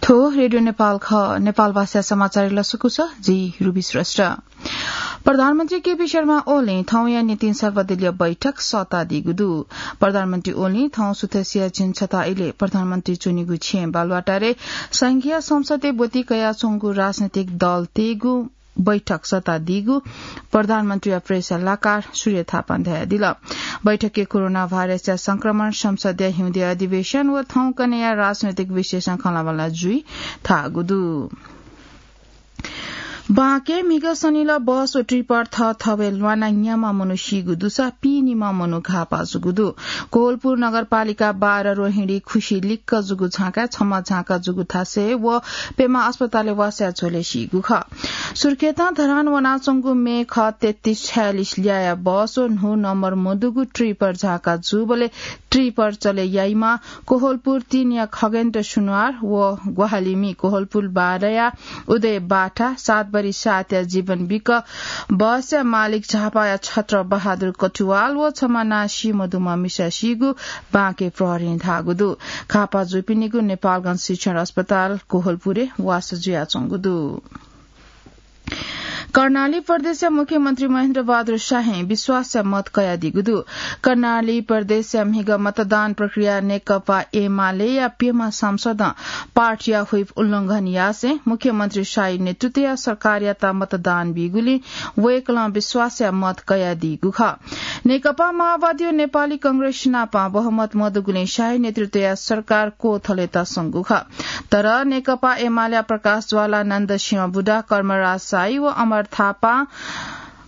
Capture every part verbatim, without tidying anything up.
थ्व रेडियो नेपाल खः। नेपाल भाषा समाचार लसकुस, जि रुबी श्रेष्ठ। प्रधानमन्त्री केपी शर्मा ओलीं थौंया निंतिं सर्वदलीय बैठक सःतादीगु दु। प्रधानमन्त्री ओलीं थौं सुथसिया झिंछता इलय् प्रधानमन्त्री च्वनीगु छेँ बालुवाटारय् संघीय संसदय् ब्वति कयाच्वंगु राजनैतिक दलतय्गु बैठक सःतादीगु प्रधानमन्त्रीया प्रेस सल्लाहकार सूर्य थापां धयादिल। बैठकय् कोरोना भाइरसया संक्रमण, संसदया हिउँदे अधिवेशन व थौंकन्हय्या राजनैतिक विषयसं खँल्हाबल्हा जुइ थाःगु दु। बांके म्हिगः सनिलः बस व ट्रिपर थःथवय् ल्वानाः न्याम्ह मनू सीगु दुसा पीनिम्ह मनू घाःपाः जूगु दु। कोहलपुर नगरपालिका बाह्र रोहिणी खुसी लिक्क जूगु झाँकाय् छम्ह झाँका जूगु थासय् व प्यम्ह अस्पतालय् वासया झ्वलय् सीगु खः। सुर्खेतं धरान वनाच्वंगु मे खः तेत्तिस छयालिस ल्याःया बस व न्हू नम्बर मदुगु ट्रिपर झाँका जूबलय् ट्रिपर चले याइम्ह कोहलपुर तीनया खगेन्द्र सुनवार व ग्वाहालिमि कोहलपुर बाह्रया उदय बाठा, सात बरी सातया जीवन विक, बसया मालिक झापाया छत्र बहादुर कटुवाल व छम्ह नां सी मदुम्ह मिसा सीगु बांके प्रहरीं धाःगु दु। घाःपाः जूपिनिगु नेपालगञ्ज शिक्षण अस्पताल कोहलपुरय् वासः जुयाच्वंगु दु। कर्णाली प्रदेशया मुख्यमन्त्री महेन्द्र बहादुर शाहीं विश्वासया मत कयादीगु दु। कर्णाली प्रदेशया म्हिगः मतदान प्रक्रिया नेकपा एमालेया प्यम्ह सांसदं पार्टीया व्हिप उल्लंघन यासें मुख्यमन्त्री शाही नेतृत्वया सरकारयात मतदान बीगुलिं वय्कलं विश्वासया मत कयादीगु खः। नेकपा माओवादी व नेपाली कांग्रेस नाप बहुमत मदुगुलिं शाही नेतृत्वया सरकार क्वथलेत संगु खः। तर नेकपा एमालेया प्रकाश ज्वाला, नन्द सिंह बुढा, कर्मराज शाही व अमर थापां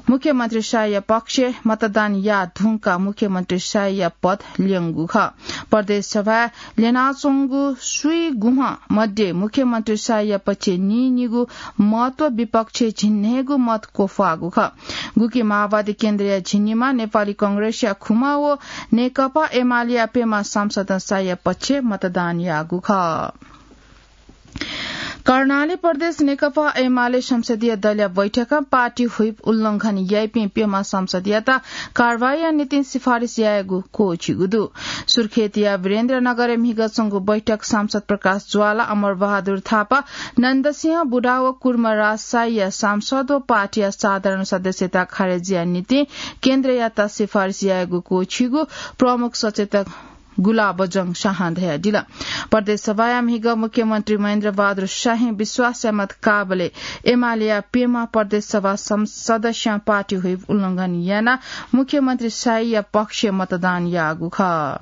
मुख्यमन्त्री शाहीया पक्षय् मतदान याः धुंकाः मुख्यमन्त्री शाहीया पद ल्यंगु खः। प्रदेश सभाय् ल्यनाच्वंगु स्वीगुम्ह मध्ये मुख्यमन्त्री शाहीया पक्षय् नीनिगू मत व विपक्षय् झिंन्हय्गू मत क्वफ्वाःगु खः। गुकी माओवादी केन्द्रया झिंनिम्ह, नेपाली कांग्रेसया खुम्ह व नेकपा एमालेया प्यम्ह सांसदं शाहीया पक्षय् मतदान याःगु खः। कर्णाली प्रदेश नेकपा एमाले संसदीय दलया बैठकं पार्टी व्हिप उल्लंघन याइपिं प्यम्ह सांसदयात कारवाहीया निंतिं सिफारिस यायेगु क्वःछिगु दु। सुर्खेतया वीरेन्द्रनगरय् म्हिगः च्वंगु बैठक सांसद प्रकाश ज्वाला, अमर बहादुर थापा, नन्दसिंह बुढा व कुर्मराज शाहीया सांसद व पार्टीया साधारण सदस्यता खारेजीया निंतिं केन्द्रयात सिफारिस यायेगु क्वःछिगु प्रमुख सचेतक गुलाबजंग शाहं धयादिल। प्रदेश सभाया म्हिगः मुख्यमन्त्री महेन्द्र बहादुर शाहीं विश्वासया मत काःबलय् एमालेया प्यम्ह प्रदेश सभा सं-, सदस्यं पार्टी व्हिप उल्लंघन यानाः मुख्यमन्त्री शाहीया पक्षय् मतदान याःगु खः।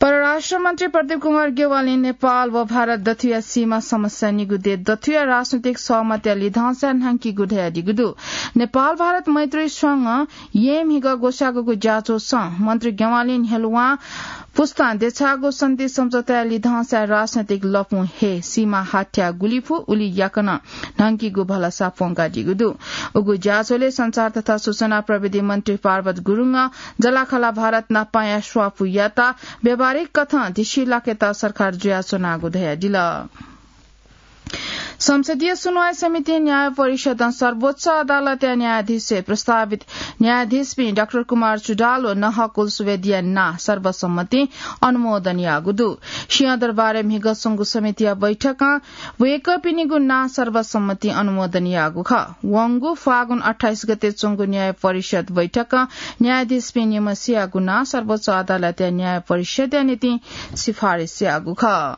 परराष्ट्र मन्त्री प्रदीप कुमार ज्ञवालीं नेपाल व भारत दथुया सीमा समस्या निगू देय् दथुया राजनैतिक सहमतया लिधंसा न्ह्याकीगु धयादीगु दु। नेपाल भारत मैत्री संघं येँ म्हिगः ग्वसाःगु ज्याझ्वलय् मन्त्री ज्ञवालीं न्ह्यलुवां पुस्तां देछाःगु शान्ति सम्झौताया लिधंसा राजनैतिक लँपुं हे सीमा हाथ्याः गुलि फु उलि याकनं न्ह्याकीगु भलसा प्वंकादीगु दु। उगु ज्याझ्वलय् सञ्चार तथा सूचना प्रविधि मन्त्री पार्वत गुरुङं जलाखला भारत नापांया स्वापूयात व्यावहारिक कथं धिसिलाकेत सरकार जुयाच्वनागु धयादिल। संसदीय सुनवाई समितिं न्याय परिषदं सर्वोच्च अदालतया न्यायाधीशय् प्रस्तावित न्यायाधीशपिं डाक्टर कुमार चुडाल व नहकुल सुवेदीया नां सर्वसम्मतिं अनुमोदन याःगु दु। सिंहदरबारय् म्हिगः च्वंगु समितिया बैठकं वय्कःपिनिगु नां सर्वसम्मतिं अनुमोदन याःगु खः। वंगु फागुन अट्ठाइस गते च्वंगु न्याय परिषद बैठकं न्यायाधीशपिं निम्हसियागु नां सर्वोच्च अदालतया न्याय परिषदया निंतिं सिफारिस याःगु खः।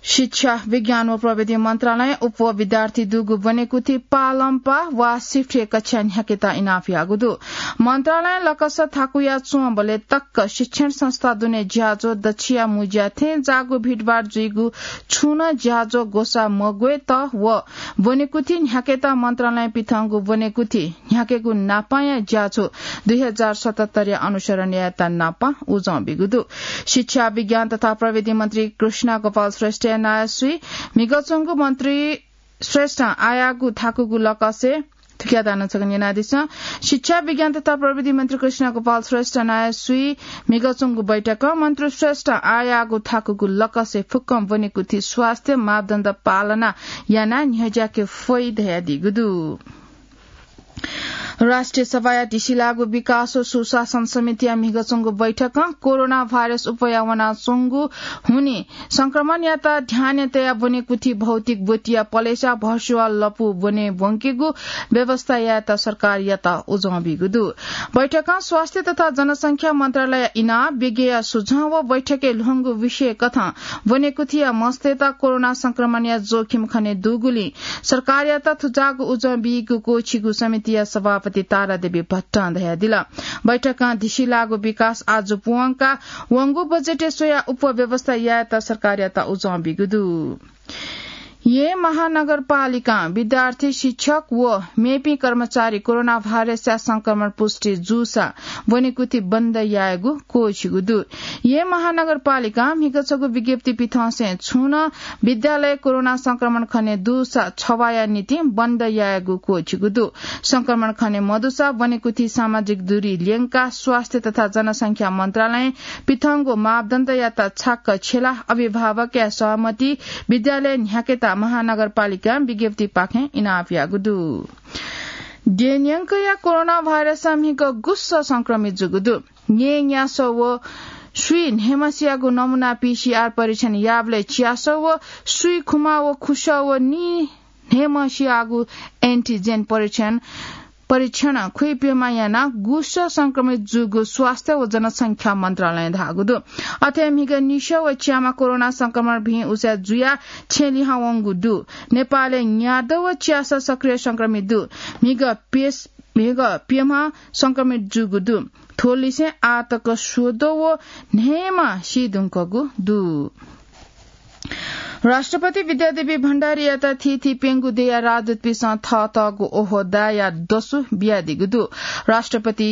शिक्षा, विज्ञान व प्रविधि मन्त्रालयं उपविद्यार्थी दुगु ब्वनेकुथि पालंपाः वा सिफ्टय् कक्षा न्ह्याकेत इनाप याःगु दु। मन्त्रालयं लकस थाकुया च्वंबलय् तक्क शिक्षण संस्था दुने ज्याझ्वः दच्छिया मुँज्या थें जाःगु भिडभाड जुइगु छुं नं ज्याझ्वः ग्वसाः मग्वयेत व ब्वनेकुथि न्ह्याकेत मन्त्रालयं पिथंगु ब्वनेकुथि न्ह्याकेगु नापांया ज्याझ्वः दुई हजार सतहत्तरया अनुसरण यायेत नापां उजं बीगु दु। शिक्षा, विज्ञान तथा प्रविधि मन्त्री कृष्ण गोपाल श्रेष्ठया नायःसुइ म्हिगः च्वंगु मन्त्री श्रेष्ठं आयागु थाकुगु लकसय् थुकिया दानं छकः न्यनादिसँ। शिक्षा, विज्ञान तथा प्रविधि मन्त्री कृष्ण गोपाल श्रेष्ठ नायःसुइ म्हिगः च्वंगु बैठकं मन्त्री श्रेष्ठं आयागु थाकुगु लकसय् फुक्कं ब्वनेकुथि स्वास्थ्य मापदण्ड पालना यानाः न्ह्यज्याके फइ धयादीगु दु। राष्ट्रिय सभाया धिसिलाःगु विकास व सुशासन समितिया म्हिगः च्वंगु बैठकं कोरोना भाइरस उपया वनाच्वंगु हुनिं संक्रमणयात ध्यानय् तयाः ब्वनेकुथि भौतिक ब्वतिया पलेसा भर्चुअल लँपु ब्वने ब्वंकेगु व्यवस्था यायेत सरकारयात उजं बीगु दु। बैठकं स्वास्थ्य तथा जनसंख्या मन्त्रालय इनाप विज्ञया सुझाव व बैठकय् ल्ह्वंगु विषय कथं ब्वनेकुथिया मस्तय्त कोरोना संक्रमणया जोखिम खने दुगुलिं सरकारयात थुजाःगु उजं बीगु क्वःछिगु समितिया सभापति तारादेवी भट्टं धयादिल। बैठकं धिसिलाःगु विकास आजु पूवंका वंगु बजेटय् स्वयाः उपव्यवस्था यायेत सरकारयात उजं बीगु दु। येँ महानगरपालिकां विद्यार्थी, शिक्षक व मेपिं कर्मचारी कोरोना भाइरसया संक्रमण पुष्टि जूसा ब्वनेकुथि बन्द यायेगु क्वःछिगु दु। येँ महानगरपालिकां म्हिगः छगू विज्ञप्ति पिथंसें छुं नं विद्यालय कोरोना संक्रमण खने दुसा छवाःया निंतिं बन्द यायेगु क्वःछिगु दु। संक्रमण खने मदुसा ब्वनेकुथि सामाजिक दूरी ल्यंकाः स्वास्थ्य तथा जनसंख्या मन्त्रालयं पिथंगु मापदण्डयात छाक्क छ्यलाः अभिभावकया सहमति विद्यालय न्ह्याकेत महानगरपालिकां विज्ञप्तिपाखें इनाप याःगु दु। देय् न्यंकया कोरोना भाइरसं म्हिगः गुस्सः संक्रमित जूगु दु। न्यय् न्यासः व स्वीन्हय्‌म्हसियागु नमूना पीसीआर परीक्षण याःबलय् च्यासः व स्वीखुमा व खुसः व नीन्हय्‌म्हसियागु एन्टिजेन परीक्षण, परीक्षण खुइप्यम्ह यानाः गुस्सः संक्रमित जूगु स्वास्थ्य व जनसंख्या मन्त्रालयं धाःगु दु। अथे म्हिगः निसः व च्याम्ह कोरोना संक्रमण भिं उसाँय् जुयाः छेँ लिहां वंगु दु। नेपालय् न्यादँ व च्यासः सक्रिय संक्रमित दु। म्हिगः प्यस-, म्हिगः प्यम्ह संक्रमित जूगु दु। थ्व लिसें आः तक स्वदँ व न्हय्‌म्ह सी धुंकूगु दु। राष्ट्रपति विद्यादेवी भण्डारीयात थीथी प्यंगू देय्‌या राजदूतपिन्सं थःथःगु ओहदाया दसु बियादीगु दु। राष्ट्रपति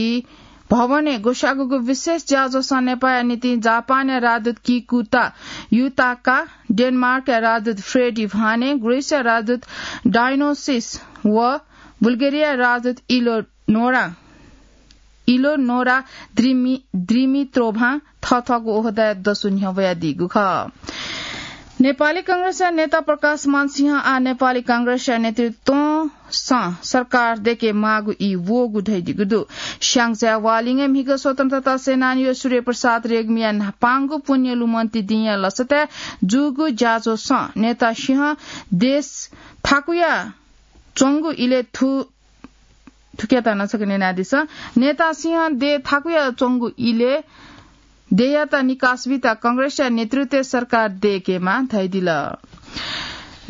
भवनय् ग्वसाःगु विशेष ज्याझ्वलय् नेपाःया निंतिं जापानया राजदूत किकुता युताका, डेनमार्कया राजदूत फ्रेडी भाने, ग्रीसया राजदूत डायोनिसियस व बुल्गेरियाया राजदूत इलोनोरा, इलोनोरा द्रिमि-, द्रिमित्रोभां थःथःगु ओहदाया दसु न्ह्यब्वयादीगु खः। नेपाली कांग्रेसया नेता प्रकाशमान सिंह आः नेपाली कांग्रेसया नेतृत्वं सं सरकार दय्‌के माःगु ई वःगु धयादीगु दु। स्याङ्जाया वालिङय् म्हिगः स्वतन्त्रता सेनानी व सूर्यप्रसाद रेग्मीया न्हापांगु पुण्यलुमन्ति दिंया लसताय् जूगु ज्याझ्वलय् नेता सिंह देय् थाकुया च्वंगु इलय् थु-, थुकियात नं छकः न्यनादिसँ। नेता सिंह देय् थाकुया च्वंगु इलय् देय्‌यात निकास बीत कांग्रेसया नेतृत्वय् सरकार दय्‌केमाः धयादिल।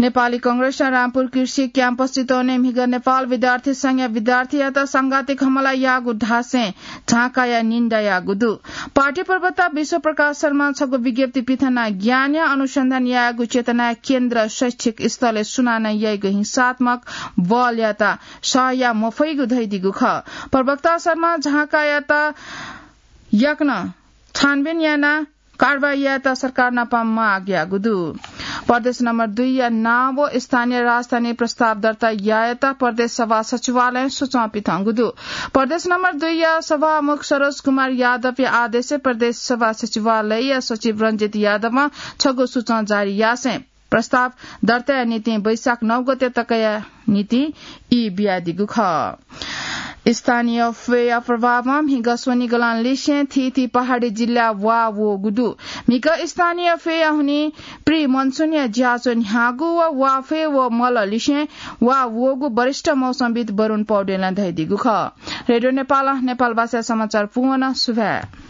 नेपाली कांग्रेसं रामपुर कृषि क्याम्पस चितवनय् म्हिगः नेपाल विद्यार्थी संघया विद्यार्थीयात सांघातिक हमला याःगु धासें झांकाया निन्दा याःगु दु। पार्टी प्रवक्ता विश्व प्रकाश शर्मां छगू विज्ञप्ति पिथनाः ज्ञानया अनुसन्धान यायेगु चेतनाया केन्द्र शैक्षिक स्तरय् सुनानं याइगु हिंसात्मक बलयात सह याये मफइगु धयादीगु खः। प्रवक्ता शर्मां झांकायात याकनं छानबिन यानाः कारवाही यायेत सरकार नाप माग याःगु दु। प्रदेश नम्बर दुईया नां व स्थानीय राजधानी प्रस्ताव दर्ता यायेत प्रदेश सभा सचिवालयं सुचं पिथंगु दु। प्रदेश नम्बर दुईया सभामुख सरोज कुमार यादवया आदेशय् प्रदेश सभा सचिवालयया सचिव रञ्जित यादवं छगू सुचं जारी यासें प्रस्ताव दर्ताया निंतिं वैशाख नौ गते तकया निंतिं ई बियादीगु खः। स्थानीय ख्वया प्रभावं म्हिगः स्वनिगलं लिसें थीथी पहाडी जिल्लाय् वा वःगु दु। म्हिगः स्थानीय ख्वया हुनिं प्री मनसुनया ज्याझ्वः न्ह्याःगु व वा ख्वय् व मल लिसें वा वःगु वरिष्ठ मौसमविद् वरुण पौडेलं धयादीगु खः। रेडियो नेपालं नेपालभाषा समाचार पूवं सुभाय्।